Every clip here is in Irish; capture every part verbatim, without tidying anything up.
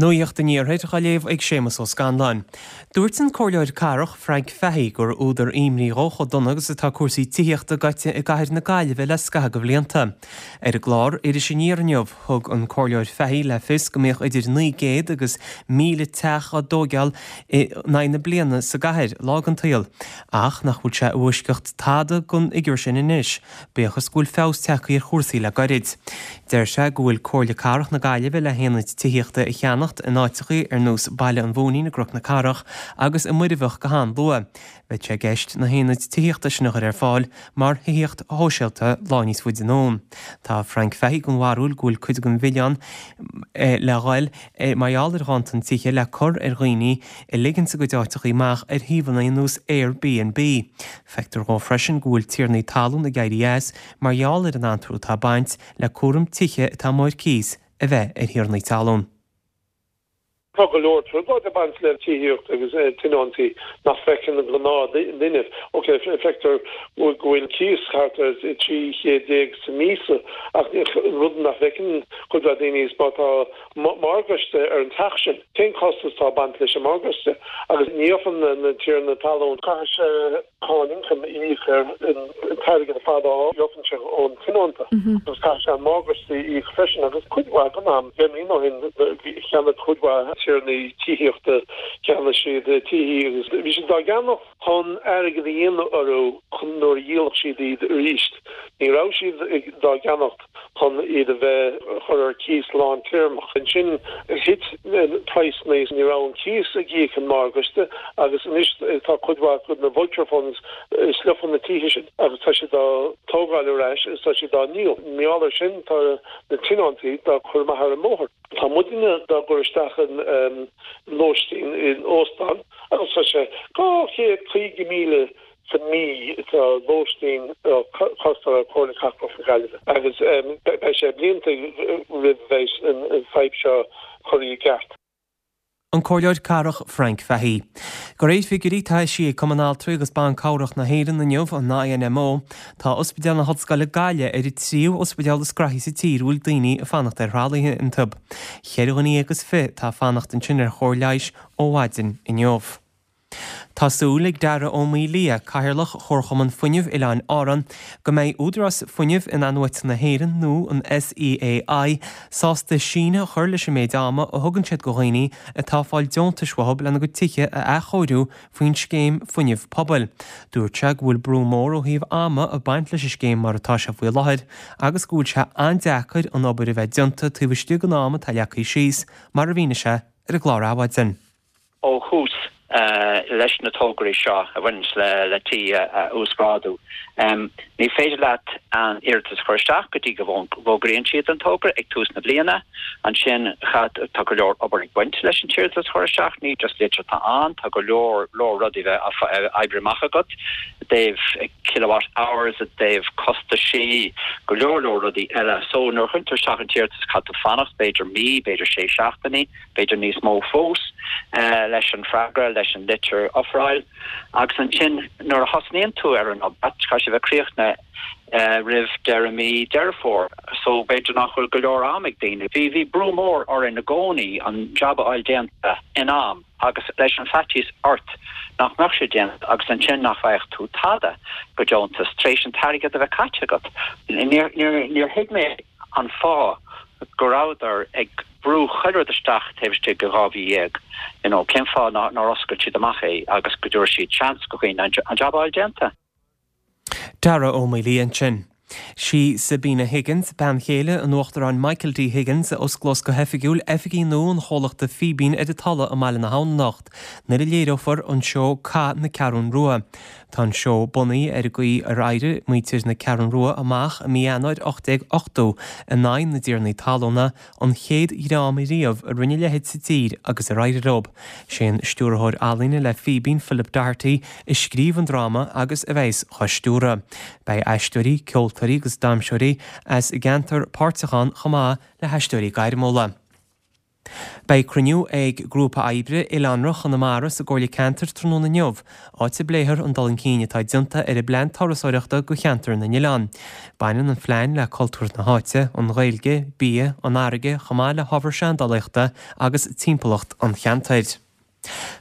Nuacht an Iarthair á léamh ag Séamus Ó Scanláin. Dúirt an Comhairleoir Cathrach Frank Fahey gur údar imní dó chomh dona agus atá cúrsaí tithíochta gaite i gcathair na Gaillimhe le scaitheamh de bhlianta. Ar an gclár Iris Aniar inniu, thug an Comhairleoir Fahey le fios go mbíodh idir naoi gcéad agus míle teach á dtógáil in aghaidh na bliana sa gcathair lá den tsaol, ach nach bhfuil sé i bhfoisceacht tada den fhigiúr sin anois, bíodh is go bhfuil feabhas tagtha ar chúrsaí le gairid. Deir sé go bhfuil Comhairle Cathrach na Gaillimhe le haonaid tithíochta a cheannacht in áiteachaí ar nós Baile an Mhóinín i gCnoc na Cathrach agus i Muirbheach go han-luath. Beidh sé i gceist na haonaid tithíochta sin a chur ar fáil mar thithíocht shóisialta lá níos faide anonn. Tá Frank Fahey den bharúil go bhfuil cuid den mhilleán le dhul mar gheall ar ghanntan tithe le cur ar dhaoine a ligeann a gcuid áiteachaí amach ar shuíomhanna ar nós Airbnb. Feictear dhó freisin go bhfuil tiarnaí talún ag éirí as mar gheall ar an antrú atá ag baint le cúram tithe atá amuigh ar cíos a bheith ar thiarnaí talún. Tá go leor trioblóid ag baint le tithíocht agus tionóntaí nach bhfeiceann an gnáthdhuine. Ok, feictear go bhfuil cíos thart ar trí chéad déag sa míosa ach rud nach bhfeiceann cuid mhaith daoine is má tá morgáiste ar an teach sin. Cén costas atá ag baint leis an morgáiste agus ní fhaigheann na tiarna talún caithfidh sé cáin ioncaim a íoc ar an t-airgead ar fad a gheobhann sé ón tionónta agus caithfidh sé an morgáiste a íoc freisin agus cuid mhaith den am deich mbliana ó shin cheannaigh cuid mhaith tiarnaí tithíochta cheannaigh siad tithe agus bhí siad dá gceannach chun airgead a dhéanamh orthu chun nuair a dhíolfadh siad iad arís. Ní raibh siad dá gceannacht chun iad a bheith chur ar cíos lántéarmach. Ansin thit praghsanna ní raibh an cíos ag íoc an morgáiste agus anois tá cuid mhaith de na vulture funds sliofann na tithe sin agus tá siad á dtógáil ar ais agus tá siad á ndíol. Mar gheall air sin tá na tionóntaí dá gcur amach ar an mbóthar. Tá muidne dá gcur isteach in lóistín in óstán agus tá sé dhá chéad caoga míle sa mí atá lóistín costáil ar Chomhairle Cathrach na Gaillimhe agus beidh sé blianta roimh bheidh an fadhb seo curtha i gceart. An Comhairleoir Cathrach Frank Fahey. De réir figiúirí atá eisithe ag Cumann Altraí agus Ban Cabhrach na hÉireann inniu an INMO, tá Ospidéal na hOllscoile Gaillimh ar an tríú ospidéal is graithí sa tír a bhfuil daoine ag fanacht ar thralaithe iontu. Ceithre dhuine agus fiche atá ag fanacht ansin ar chóir leighis ó mhaidin inniu. Tá súil ag Dara Ó Maolaodha, Cathaoirleach Chomharchumann Fuinnimh Oileáin Árann, go mbeidh Údarás Fuinnimh In-athnuaite na hÉireann nó an SEAI sásta síneadh a chur leis an méid ama a thugann siad do dhaoine atá ag fáil deontais uathu lena gcuid tithe a athchóiriú faoin scéim fuinnimh pobail. Dúirt sé go bhfuil brú mór ó thaobh ama ag baint leis an scéim mar atá sé faoi láthair agus go bhfuil sé an-deacair an obair a bheith déanta taobh istigh den am atá leagtha síos, mar a mhínigh sé ar an gclár Adhmhaidin. Ó thús leis na tograí seo a bhaineanns le le tithe a uasghrádú. Ní féidir leat an iarratas a chur isteach go dtí go bhfógraíonn siad an togra ag tús na bliana. Ansin tá go leor obair ag baint leis an t-iarratas a chur isteach, ní just litir atá ann, tá go leor leor rudaí bheith oibriú amach agat i dtaobh kilowatt hours, i dtaobh costaisí, go leor leor rudaí eile. So nuair a chuireann tú isteach an t-iarratas caithfidh tú fanacht b'fhéidir mí, b'fhéidir sé seachtainí, b'fhéidir níos mó fós, leis an freagra, leis an litir ofráil. Agus ansin nuair a thosnaíonn tú ar an obair, caithfidh sé bheith críochnaithe roimh deireadh mí Deireadh Fómhair. So b'fhéidir nach bhfuil go leor am ag daoine. Bhí bhí brú mór orainn i gcónaí an jab a fháil déanta in am agus leis an faitíos ort nach mbeadh sé déanta agus ansin nach bhfaigheadh tú tada go deontas tar éis an t-airgead a bheith caite agat. Níor níor níor thuig mé an fáth go rabhadar ag brú chuile rud isteach taobh istigh de dhá mhí dhéag, you know, cén fáth nár oscail siad amach é agus go dtabharfaidh siad seans go dhaoine an jab a fháil déanta? Dara Ó Maolaodha ansin. Sí Sabina Higgins, bean chéile an Uachtaráin Michael D. Higgins, a osclós go hoifigiúil oifigí nua an chomhlachta Fíbín ar an Tulaigh i mBaile na hAbhann anocht, nuair a léireofar an seó Cath na Ceathrún Rua. Tá an seó bunaithe ar an gcaoi ar éirigh muintir na Ceathrún Rua amach i mí Eanáir ocht déag ochtó in aghaidh na dtiarnaí talúna, an chéad dhream riamh a rinne a leithéid sa tír agus ar éirigh leo. Sé an stiúrthóir ealaíne le Fíbín, Philip Doherty, a scríobh an dráma agus a bheas dhá stiúradh. Beidh aisteoirí, ceoltóirí agus damhsóirí as an gceantar páirteach ann chomh maith le haisteoirí gairmiúla. Beidh cruinniú ag Grúpa Oibre Oileánra Chonamara sa gComhairle Ceantair tráthnóna inniu, áit a bpléifear an dul chun cinn atá déanta ar an bplean turasóireachta do cheantar na n-oileán. Baineann an phlean le cultúr na háite, an Ghaeilge, bia, an fharraige, chomh maith le hábhar seandálaíochta agus timpeallacht an cheantair.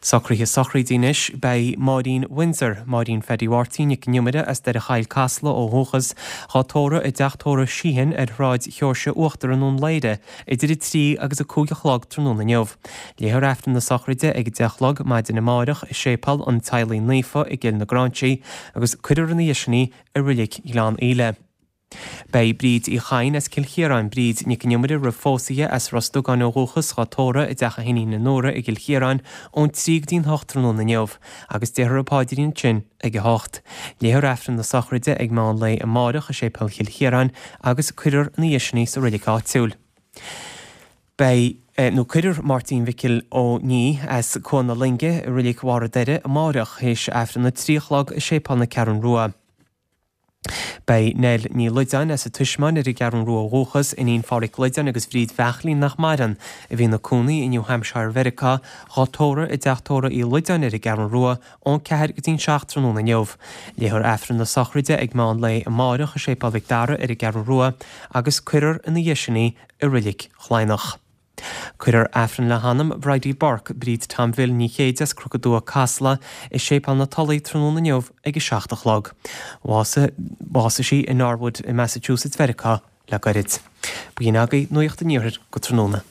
Socruithe sochraide anois, Beidh Máirín Windsor, Máirín Phaddy Mháirtín Nic an Iomaire as Doire Choill, Casla ó dhúchas, dhá tórramh i dteach tórraimh Sheehan ar Shráid Sheoirse Uachtar i nDún Laoghaire idir a trí agus a cúig a chlog tráthnóna inniu. Léifear Aifreann na sochraide ag a deich a chlog maidin amárach i Séipéal an Teaghlaigh Naofa i gCill na Gráinsí agus cuirfear ina dhiaidh sin í i Reilig Ghleann Íle. Beidh Bríd Uí Chadhain as Cill Chiaráin, Bríd Nic an Iomaire roimh phósadh as Ros Dugáin ó dhúchas, dhá tórramh i dteach a hiníne Nóra i gCill Chiaráin ón trí go dtí'n hocht tráthnóna inniu agus déarfar an paidrín ansin ag a hocht. Léifear Aifreann na sochraide ag meán lae amárach i Séipéal Chill Chiaráin agus cuirfear ina dhiaidh sin í sa reilig áitiúil. Beidh, nó cuirfear Máirtín Mhicil Ó Ní as Cuan na Loinge i Reilig Bharr an Doire amárach théis Aifreann a trí a chlog i Séipéal na Ceathrún Rua. Beidh Nell Ní Loideáin as an Tismeáin ar an gCeathrún Rua ó dhúchas, iníon Phádhraic Loideáin agus Bhríd Bheachlín nach maireann, a bhí ina cónaí i New Hampshire Mheiriceá, dhá tórramh i dteach tórraimh Uí Loideáin ar an gCeathrún Rua ón ceathair go dtí'n seacht tráthnóna inniu. Léifear Aifreann na sochraide ag meán lae amárach i Séipéal Mhic Dara ar an gCeathrún Rua agus cuirfear ina dhiaidh sin í i Reilig Chladhnach. Cuirfear Aifreann le hanam Bridie Burke, Bríd Tom Bhill Ní Chéide as Cnoc an Dua, Casla, i Séipéal na Tulaí tráthnóna inniu ag a seacht a chlog. Bhásaigh sí i Norwood i Massachusetts Mheiriceá le gairid. B'in agaibh Nuacht an Iarthair go tráthnóna.